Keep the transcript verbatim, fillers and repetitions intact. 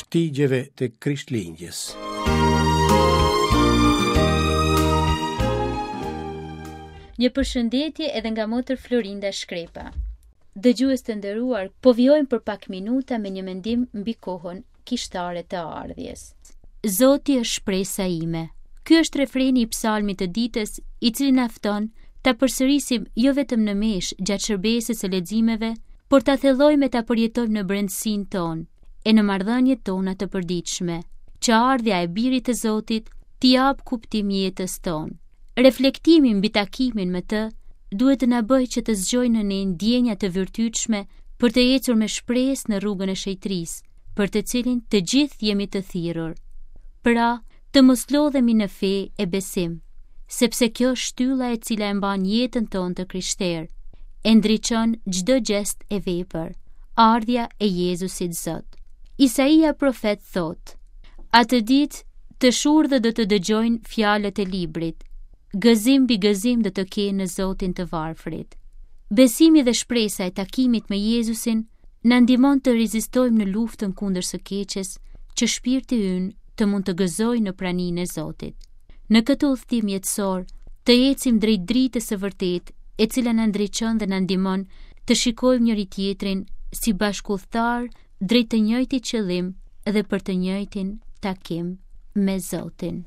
shtigjeve të Krishtlindjes. Një përshëndetje edhe nga motër Florinda Shkrepa. Dëgjues të nderuar, po vijojmë për pak minuta me një mendim mbi kohën kishtare të ardhjes. Zoti është shpresa ime. Ky është refreni i psalmit të ditës, i cili na fton ta përsërisim jo vetëm në meshë gjatë shërbesës së leximeve, por ta thellojmë e ta përjetojmë në brendësinë tonë e në marrëdhëniet tona të përditshme, që ardhja e birit të Zotit t'i japë kuptim jetës tonë. Reflektimi mbi takimin me të duhet të na bëjë që të zgjojë në ne ndjenja të virtytshme për të ecur me shpresë në rrugën e shenjtërisë, për të cilin të gjithë jemi të thirrur. Pra, të mos lodhemi në fe e besim, sepse kjo është shtylla e cila e mban jetën tonë të krishterë, e ndriçon çdo gjest e vepër, ardhja e Jezusit Zot. Isaia profet thotë: Atë ditë të shurdhët do të dëgjojnë fjalët e librit, gëzim mbi gëzim do të kenë në Zotin të varfrit. Besimi dhe shpresa e takimit me Jezusin na ndihmon të rezistojmë në luftën kundër së keqes, që shpirti ynë të mund të gëzojë në praninë e Zotit. Në këtë udhëtim jetësor, të ecim drejt dritës së vërtetë, e cila na ndriçon dhe na ndihmon të shikojmë njëri tjetrin si bashkudhëtar drejt të njëjtit qëllim dhe për të njëjtin takim me Zotin.